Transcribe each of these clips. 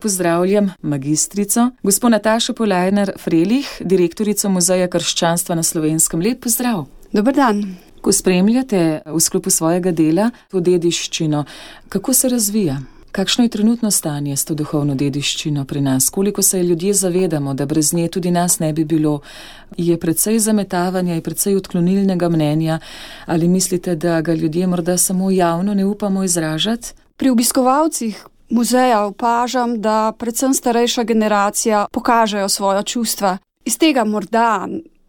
pozdravljam magistrico, gospo Natašo Polajnar-Frelih, direktorico Muzeja krščanstva na Slovenskem. Lep pozdrav. Dober dan. Ko spremljate v sklopu svojega dela to dediščino, kako se razvija? Kakšno je trenutno stanje s to duhovno dediščino pri nas? Koliko se ljudje zavedamo, da brez nje tudi nas ne bi bilo? Je precej zametavanja, je precej odklonilnega mnenja? Ali mislite, da ga ljudje morda samo javno ne upamo izražati? Pri obiskovalcih muzeja opažam, da predvsem starejša generacija pokažejo svoja čustva. Iz tega morda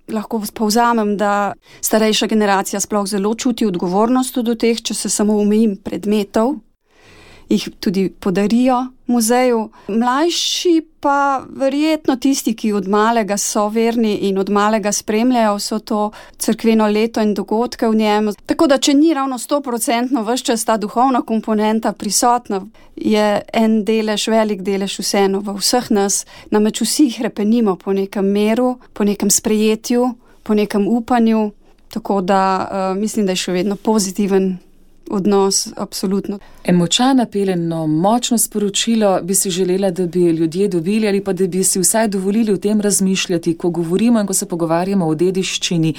lahko povzamem, da starejša generacija sploh zelo čuti odgovornost do teh, če se samo omejim predmetov, jih tudi podarijo muzeju. Mlajši pa verjetno tisti, ki od malega so verni in od malega spremljajo vso to cerkveno leto in dogodke v njem. Tako da, če ni ravno 100% ves čas ta duhovna komponenta prisotna, je en delež, velik delež vseeno v vseh nas, namreč vsi hrepenimo po nekem miru, po nekem sprejetju, po nekem upanju, tako da mislim, da je še vedno pozitiven odnos, absolutno. En močan apel, eno močno sporočilo bi si želela, da bi ljudje dobili ali pa da bi si vsaj dovolili o tem razmišljati, ko govorimo in ko se pogovarjamo o dediščini.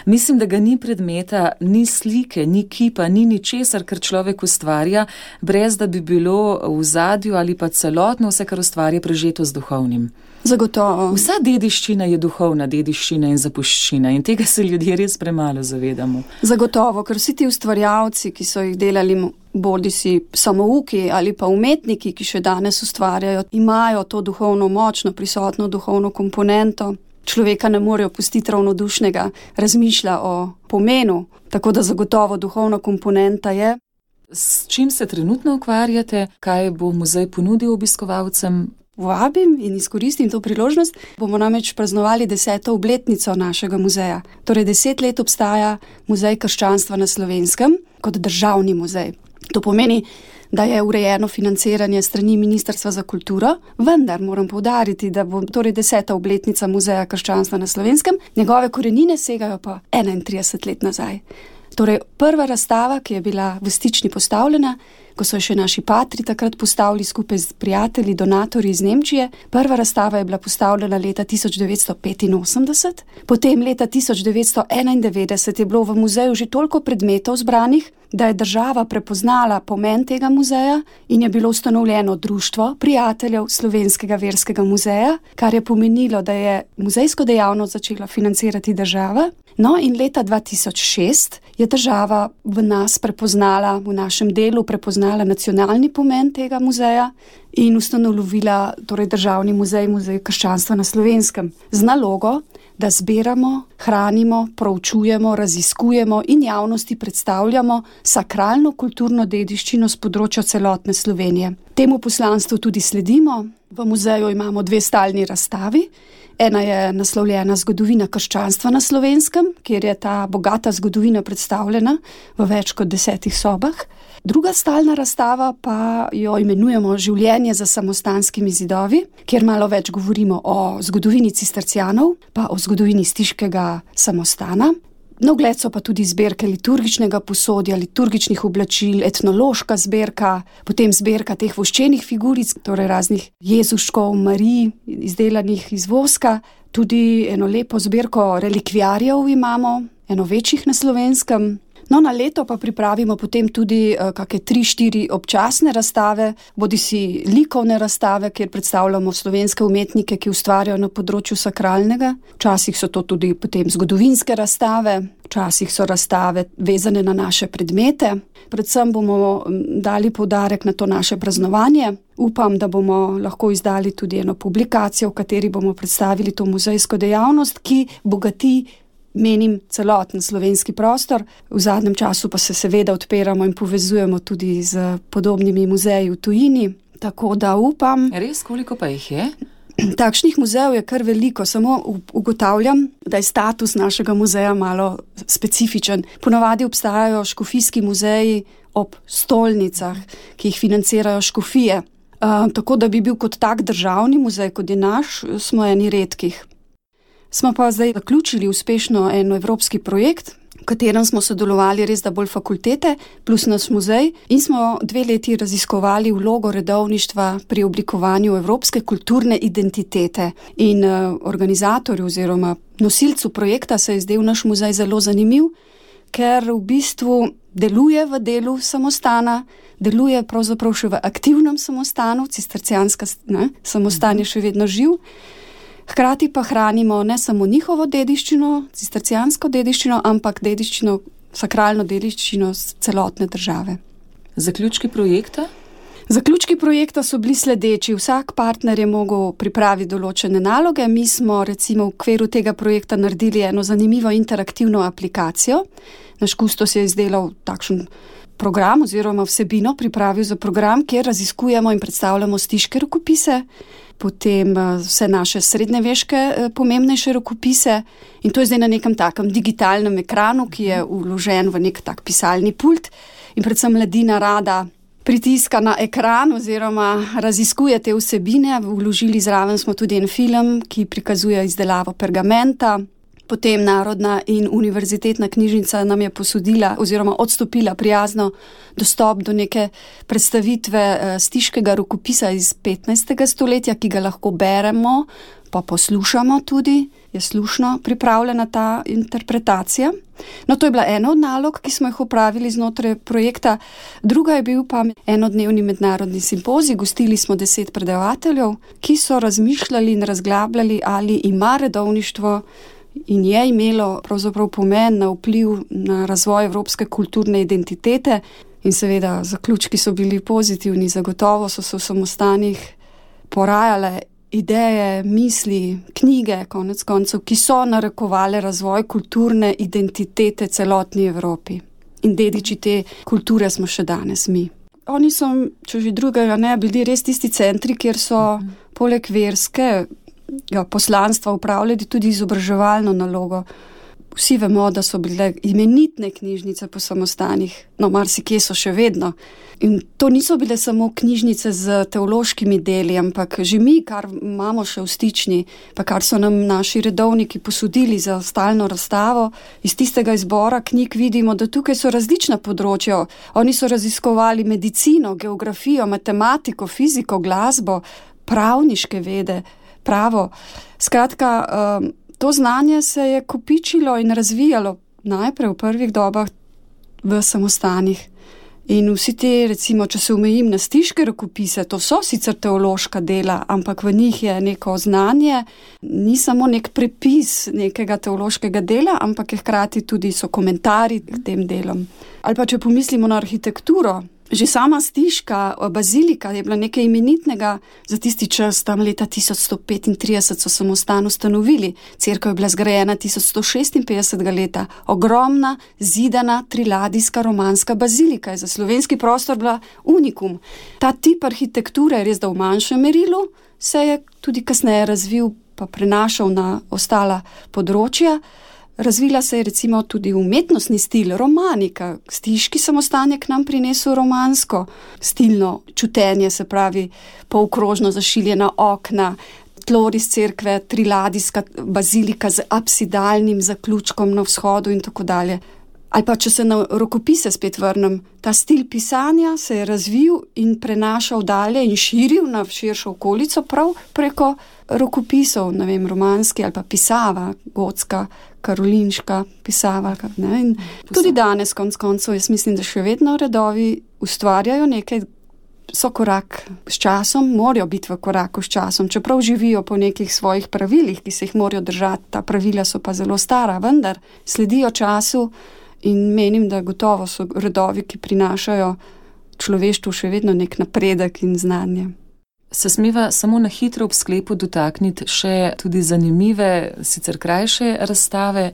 Mislim, da ga ni predmeta, ni slike, ni kipa, ni ničesar, kar človek ustvarja, brez da bi bilo v ozadju ali pa celotno vse, kar ustvarja, prežeto z duhovnim. Zagotovo. Vsa dediščina je duhovna dediščina in zapuščina in tega se ljudje res premalo zavedamo. Zagotovo, ker vsi ti ustvarjalci, ki so jih delali bodisi samouki ali pa umetniki, ki še danes ustvarjajo, imajo to duhovno močno prisotno duhovno komponento. Človeka ne morejo pustiti ravnodušnega, razmišlja o pomenu, tako da zagotovo duhovna komponenta je. S čim se trenutno ukvarjate? Kaj bo muzej ponudil obiskovalcem? Vabim in izkoristim to priložnost. Bomo namreč praznovali 10. obletnico našega muzeja. Torej 10 let obstaja Muzej krščanstva na Slovenskem kot državni muzej. To pomeni, da je urejeno financiranje strani Ministrstva za kulturo, vendar moram poudariti, da bo torej 10. obletnica Muzeja krščanstva na Slovenskem, njegove korenine segajo pa 31 let nazaj. Torej prva razstava, ki je bila v Stični postavljena, ko so še naši patri takrat postavili skupaj z prijatelji, donatorji iz Nemčije. Prva razstava je bila postavljena leta 1985, potem leta 1991 je bilo v muzeju že toliko predmetov zbranih, da je država prepoznala pomen tega muzeja in je bilo ustanovljeno društvo prijateljev Slovenskega verskega muzeja, kar je pomenilo, da je muzejsko dejavnost začela financirati država. No in leta 2006 je država v nas prepoznala, v našem delu prepoznala nacionalni pomen tega muzeja in ustanovila torej državni muzej, Muzej krščanstva na Slovenskem, z nalogo, da zbiramo, hranimo, proučujemo, raziskujemo in javnosti predstavljamo sakralno kulturno dediščino s področja celotne Slovenije. Temu poslanstvu tudi sledimo. V muzeju imamo 2 stalni razstavi. Ena je naslovljena Zgodovina krščanstva na Slovenskem, kjer je ta bogata zgodovina predstavljena v več kot 10 sobah. Druga stalna razstava pa jo imenujemo Življenje za samostanskimi zidovi, kjer malo več govorimo o zgodovini cistercijanov, pa o zgodovini stiškega samostana. Na ogled so pa tudi zbirke liturgičnega posodja, liturgičnih oblačil, etnološka zbirka, potem zbirka teh voščenih figuric, torej raznih Jezuškov, Marij, izdelanih iz voska. Tudi eno lepo zbirko relikviarjev imamo, eno večjih na Slovenskem. No, na leto pa pripravimo potem tudi kakšne 3-4 občasne razstave, bodisi likovne razstave, kjer predstavljamo slovenske umetnike, ki ustvarjajo na področju sakralnega. Včasih so to tudi potem zgodovinske razstave, včasih so razstave vezane na naše predmete. Predvsem bomo dali poudarek na to naše praznovanje. Upam, da bomo lahko izdali tudi eno publikacijo, v kateri bomo predstavili to muzejsko dejavnost, ki bogati, menim, celoten slovenski prostor. V zadnjem času pa se seveda odpiramo in povezujemo tudi z podobnimi muzeji v tujini. Tako da upam. Res, koliko pa jih je? Takšnih muzejev je kar veliko, samo ugotavljam, da je status našega muzeja malo specifičen. Ponavadi obstajajo škofijski muzeji ob stolnicah, ki jih financirajo škofije. Tako da bi bil kot tak državni muzej, kot je naš, smo eni redkih. Smo pa zdaj zaključili uspešno en evropski projekt, katerem smo sodelovali res da bolj fakultete plus naš muzej in smo 2 leti raziskovali vlogo redovništva pri oblikovanju evropske kulturne identitete. In organizatorju oziroma nosilcu projekta se je zdel naš muzej zelo zanimiv, ker v bistvu deluje v delu samostana, deluje pravzaprav še v aktivnem samostanu, cistercijanska samostan je še vedno živ. Hkrati pa hranimo ne samo njihovo dediščino, cistercijansko dediščino, ampak dediščino, sakralno dediščino celotne države. Zaključki projekta? Zaključki projekta so bili sledeči. Vsak partner je mogel pripraviti določene naloge. Mi smo recimo v okviru tega projekta naredili eno zanimivo interaktivno aplikacijo. Naš kustos je izdelal takšen program oziroma vsebino pripravil za program, kjer raziskujemo in predstavljamo stiške rokopise, potem vse naše srednjeveške pomembnejše rokopise in to je zdaj na nekem takem digitalnem ekranu, ki je vložen v nek tak pisalni pult in predvsem mladina rada pritiska na ekran oziroma raziskuje te vsebine. Vložili zraven smo tudi en film, ki prikazuje izdelavo pergamenta. Potem Narodna in univerzitetna knjižnica nam je posodila oziroma odstopila prijazno dostop do neke predstavitve stiškega rokopisa iz 15. stoletja, ki ga lahko beremo, pa poslušamo tudi, je slušno pripravljena ta interpretacija. No, to je bila ena od nalog, ki smo jih opravili znotraj projekta. Druga je bil pa enodnevni mednarodni simpozij. Gostili smo 10 predavateljev, ki so razmišljali in razglabljali, ali ima redovništvo in je imelo pravzaprav pomen na vpliv na razvoj evropske kulturne identitete. In seveda zaključki so bili pozitivni, zagotovo so se v samostanih porajale ideje, misli, knjige, konec koncev, ki so narekovale razvoj kulturne identitete celotni Evropi. In dediči te kulture smo še danes mi. Oni so, če že drugega ne, bili res tisti centri, kjer so poleg verske poslanstva upravljali tudi izobraževalno nalogo. Vsi vemo, da so bile imenitne knjižnice po samostanih, no marsikje so še vedno. In to niso bile samo knjižnice z teološkimi deli, ampak že mi, kar imamo še v stični, pa kar so nam naši redovniki posodili za stalno razstavo, iz tistega izbora knjig vidimo, da tukaj so različna področja. Oni so raziskovali medicino, geografijo, matematiko, fiziko, glasbo, pravniške vede, pravo. Skratka, to znanje se je kopičilo in razvijalo najprej v prvih dobah v samostanih. In vsi te, recimo, če se omejim na stiške rokopise, to so sicer teološka dela, ampak v njih je neko znanje, ni samo nek prepis nekega teološkega dela, ampak je hkrati tudi so komentarji k tem delom. Ali pa če pomislimo na arhitekturo, že sama stiška bazilika je bila nekaj imenitnega za tisti čas, tam leta 1135 so samostan ustanovili. Cerkev je bila zgrajena 1156. leta. Ogromna, zidana, triladijska romanska bazilika je za slovenski prostor bila unikum. Ta tip arhitekture je res da v manjšem merilu, se je tudi kasneje razvil pa prenašal na ostala področja. Razvila se je recimo tudi umetnostni stil, romanika. Stiški samostan je k nam prinesel romansko stilno čutenje, se pravi polkrožno zašiljena okna, tloris cerkve, triladijska bazilika z apsidalnim zaključkom na vzhodu in tako dalje. Ali pa, če se na rokopise spet vrnem, ta stil pisanja se je razvil in prenašal dalje in širil na širšo okolico prav preko rokopisov, ne vem, romanski ali pa pisava, gotska, karolinška pisava. Ne? In tudi danes, konec koncev, jaz mislim, da še vedno redovi ustvarjajo nekaj, so korak s časom, morajo biti v koraku s časom, čeprav živijo po nekih svojih pravilih, ki se jih morajo držati, ta pravila so pa zelo stara, vendar sledijo času. In menim, da gotovo so redovi, ki prinašajo človeštvu še vedno nek napredek in znanje. Se smeva samo na hitro ob sklepu dotakniti še tudi zanimive, sicer krajše razstave,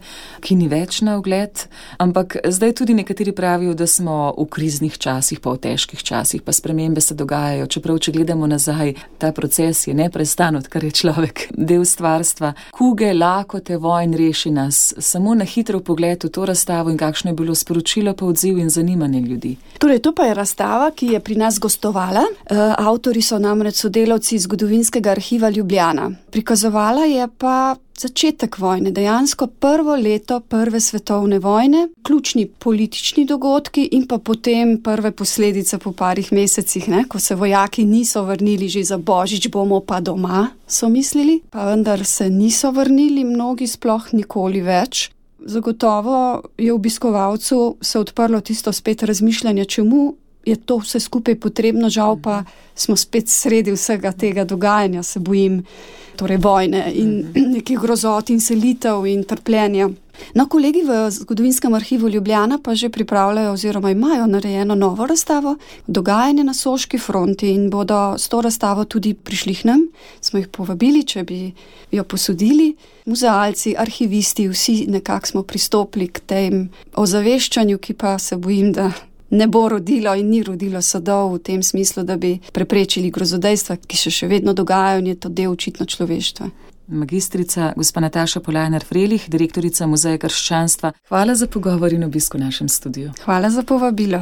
ki ni več na ogled, ampak zdaj tudi nekateri pravijo, da smo v kriznih časih, pa v težkih časih, pa spremembe se dogajajo, čeprav če gledamo nazaj, ta proces je neprestan, odkar je človek del stvarstva. Kuge, lakote, vojn reši nas. Samo na hitro pogled v to razstavo in kakšno je bilo sporočilo, pa odziv in zanimanje ljudi. Torej, to pa je razstava, ki je pri nas gostovala. Avtori so namreč sodelavci Zgodovinskega arhiva Ljubljana. Prikazovala je pa začetek vojne, dejansko prvo leto Prve svetovne vojne, ključni politični dogodki in pa potem prve posledice po parih mesecih, ko se vojaki niso vrnili že za božič, bomo pa doma, so mislili, pa vendar se niso vrnili, mnogi sploh nikoli več. Zagotovo je obiskovalcu se odprlo tisto spet razmišljanje, čemu je to vse skupaj potrebno, žal pa smo spet sredi vsega tega dogajanja, se bojim, torej vojne in nekih grozot in selitev in trpljenja. No, kolegi v Zgodovinskem arhivu Ljubljana pa že pripravljajo oziroma imajo narejeno novo razstavo, dogajanje na Soški fronti, in bodo s to razstavo tudi prišli k nam. Smo jih povabili, če bi jo posodili. Muzealci, arhivisti, vsi nekako smo pristopili k tem ozaveščanju, ki pa se bojim, da ne bo rodilo in ni rodilo sadov v tem smislu, da bi preprečili grozodejstva, ki se še vedno dogajajo in je to del očitno človeštva. Magistrica gospa Nataša Polajnar-Frelih, direktorica Muzeja krščanstva. Hvala za pogovor in obisk v našem studiu. Hvala za povabilo.